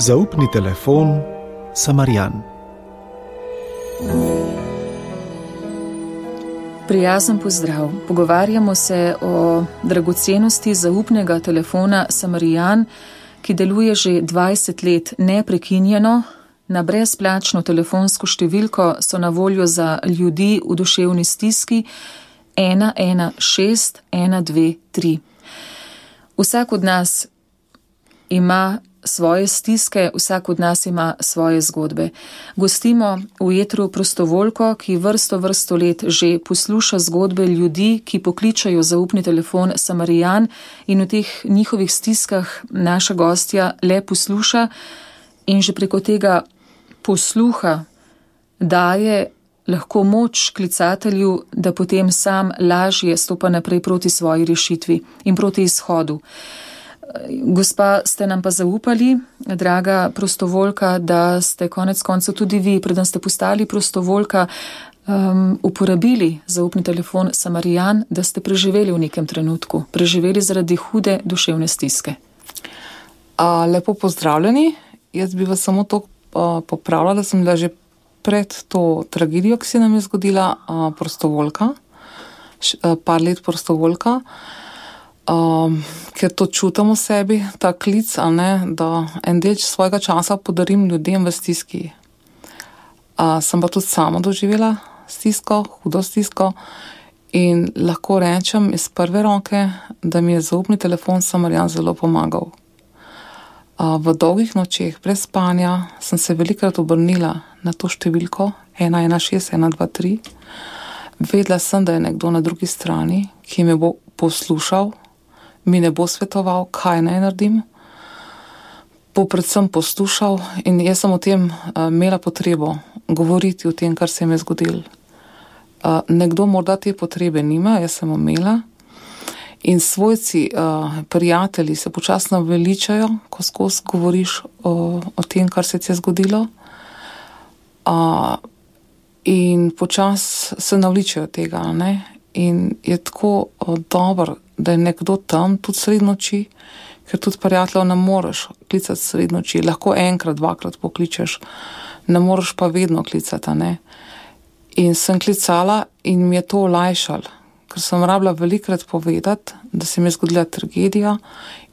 Zaupni telefon Samarijan. Prijazen pozdrav. Pogovarjamo se o dragocenosti zaupnega telefona Samarijan, ki deluje že 20 let neprekinjeno. Na brezplačno telefonsko številko so na voljo za ljudi v duševni stiski 116 123. Vsak od nas ima svoje stiske, vsak od nas ima svoje zgodbe. Gostimo v etru prostovoljko, ki vrsto let že posluša zgodbe ljudi, ki pokličajo zaupni telefon Samarijan, in v teh njihovih stiskah naša gostja le posluša in že preko tega posluha daje lahko moč klicatelju, da potem sam lažje stopa naprej proti svoji rešitvi in proti izhodu. Gospa, ste nam pa zaupali, draga prostovoljka, da ste konec koncev tudi vi, preden ste postali prostovoljka, uporabili zaupni telefon Samarijan, da ste preživeli v nekem trenutku, preživeli zaradi hude duševne stiske. Lepo pozdravljeni. Jaz bi vas samo to popravila, da sem bila že pred to tragedijo, ki se nam je zgodila, prostovoljka, par let prostovoljka, ker to čutim v sebi, ta klic, da en delč svojega časa podarim ljudem v stiski. Sem pa tudi sama doživela stisko, hudo stisko, in lahko rečem iz prve roke, da mi je zaupni telefon Samarijan zelo pomagal. V dolgih nočeh, brez spanja, sem se velikokrat obrnila na to številko 116 123. Vedela sem, da je nekdo na drugi strani, ki me bo poslušal, mi ne bo svetoval, kaj naj naredim, bo predvsem poslušal, in jaz sem o tem imela potrebo govoriti o tem, kar se mi je zgodilo. Nekdo morda te potrebe nima, jaz sem imela, in svojci, prijatelji se počasno veličajo, ko skozi govoriš o tem, kar se ti je zgodilo, in počas se navličajo tega, ne? In je tako dobro, da je nekdo tam tudi sredi noči, ker tudi prijateljev ne moreš klicati sredi noči, lahko enkrat, dvakrat pokličeš, ne moreš pa vedno klicati, ne. In sem klicala in mi je to olajšalo, ker sem rabila velikokrat povedati, da se mi je zgodila tragedija,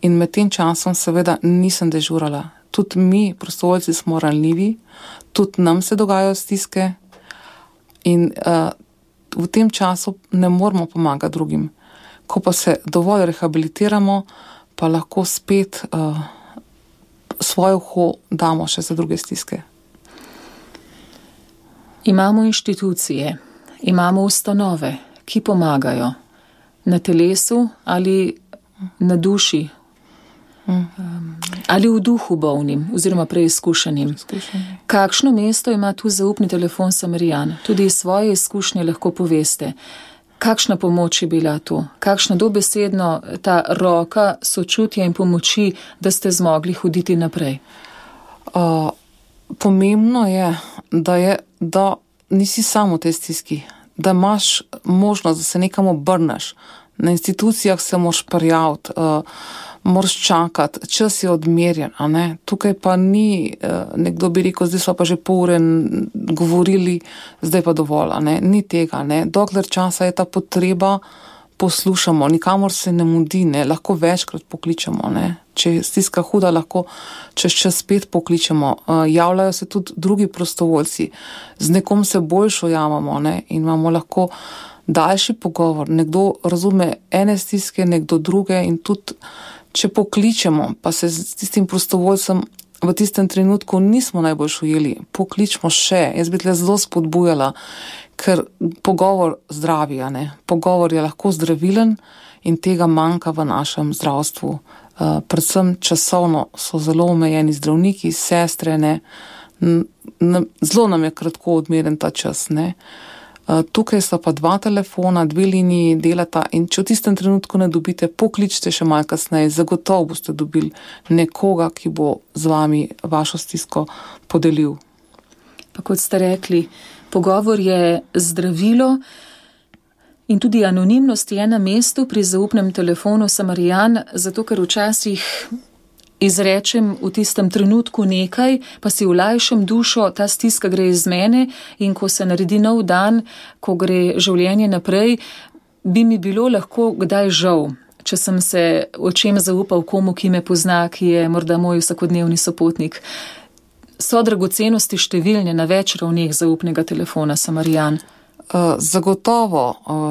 in med tem časom seveda nisem dežurala. Tudi mi, prostovoljci, smo ranljivi, tudi nam se dogajajo stiske, in v tem času ne moramo pomagati drugim. Ko pa se dovolj rehabilitiramo, pa lahko spet svoje uho damo še za druge stiske. Imamo inštitucije, imamo ustanove, ki pomagajo na telesu ali na duši, ali v duhu bolnim oziroma preizkušenim. Kakšno mesto ima tu zaupni telefon Samarijan? Tudi svoje izkušnje lahko poveste. Kakšna pomoč je bila tu? Kakšna dobesedno ta roka sočutja in pomoči, da ste zmogli hoditi naprej? Pomembno je, da nisi sam v tej stiski, da imaš možnost, da se nekam obrneš. Na institucijah se moraš prijaviti, moraš čakati, čas je odmerjen, a ne? Tukaj pa ni, nekdo bi rekel, zdaj smo pa že pol ure govorili, zdaj pa dovolj, a ne? Ni tega, ne? Dokler časa je ta potreba, poslušamo, nikamor se ne mudi, ne? Lahko večkrat pokličemo, ne? Če je stiska huda, lahko čez čas spet pokličemo. Javljajo se tudi drugi prostovoljci, z nekom se boljšo javamo, ne? In imamo lahko daljši pogovor, nekdo razume ene stiske, nekdo druge, in tudi če pokličemo, pa se s tistim prostovoljcem v tistem trenutku nismo najbolj ujeli, pokličmo še. Jaz bi tle zelo spodbujala, ker pogovor zdravi, a ne? Pogovor je lahko zdravilen in tega manjka v našem zdravstvu. Predvsem časovno so zelo omejeni zdravniki, sestre, ne? Zelo nam je kratko odmeren ta čas, ne? Tukaj sta pa dva telefona, dve liniji delata, in če v tistem trenutku ne dobite, pokličite še malo kasneje, zagotovo boste dobili nekoga, ki bo z vami vašo stisko podelil. Pa kot ste rekli, pogovor je zdravilo in tudi anonimnost je na mestu pri zaupnem telefonu Samarijan, zato ker včasih izrečem v tistem trenutku nekaj, pa si olajšam dušo, ta stiska gre iz mene in ko se naredi nov dan, ko gre življenje naprej, bi mi bilo lahko kdaj žal, če sem se o čem zaupal komu, ki me pozna, ki je morda moj vsakodnevni sopotnik. So dragocenosti številne na več ravneh zaupnega telefona, Samarijan. Zagotovo,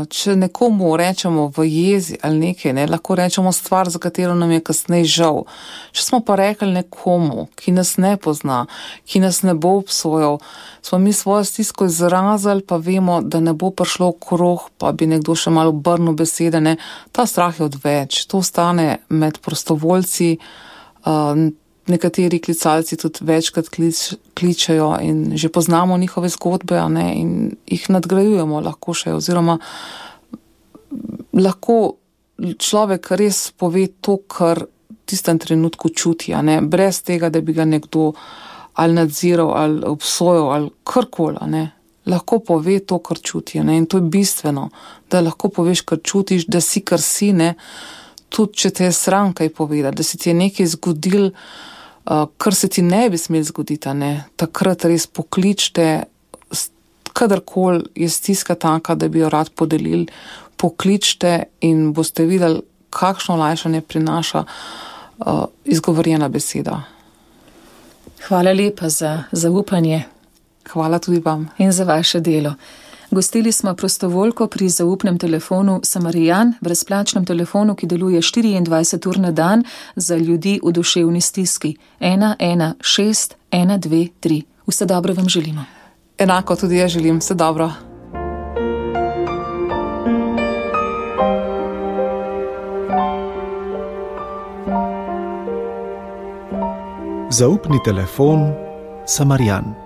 če nekomu rečemo v jezi ali nekaj, lahko rečemo stvar, za katero nam je kasneje žal. Če smo pa rekli nekomu, ki nas ne pozna, ki nas ne bo obsojal, smo mi svojo stisko izrazili, pa vemo, da ne bo prišlo v krog, pa bi nekdo še malo obrnil besede, ta strah je odveč. To ostane med prostovoljci, nekateri klicalci tudi večkrat kličejo in že poznamo njihove zgodbe, in jih nadgrajujemo lahko še, oziroma lahko človek res pove to, kar v tistem trenutku čuti, brez tega, da bi ga nekdo ali nadziral, ali obsojal, ali karkoli, lahko pove to, kar čuti, in to je bistveno, da lahko poveš, kar čutiš, da si, kar si, tudi če te je sram kaj povedati, da se ti je nekaj zgodil, kar se ti ne bi smel zgoditi, takrat res pokličte, kadarkoli je stiska taka, da bi jo rad podelili, pokličte in boste videli, kakšno olajšanje prinaša izgovorjena beseda. Hvala lepa za zaupanje. Hvala tudi vam. In za vaše delo. Gostili smo prostovoljko pri zaupnem telefonu Samarijan, brezplačnem telefonu, ki deluje 24 ur na dan za ljudi v duševni stiski. 116 123. Vse dobro vam želimo. Enako tudi jaz želim. Vse dobro. Zaupni telefon Samarijan.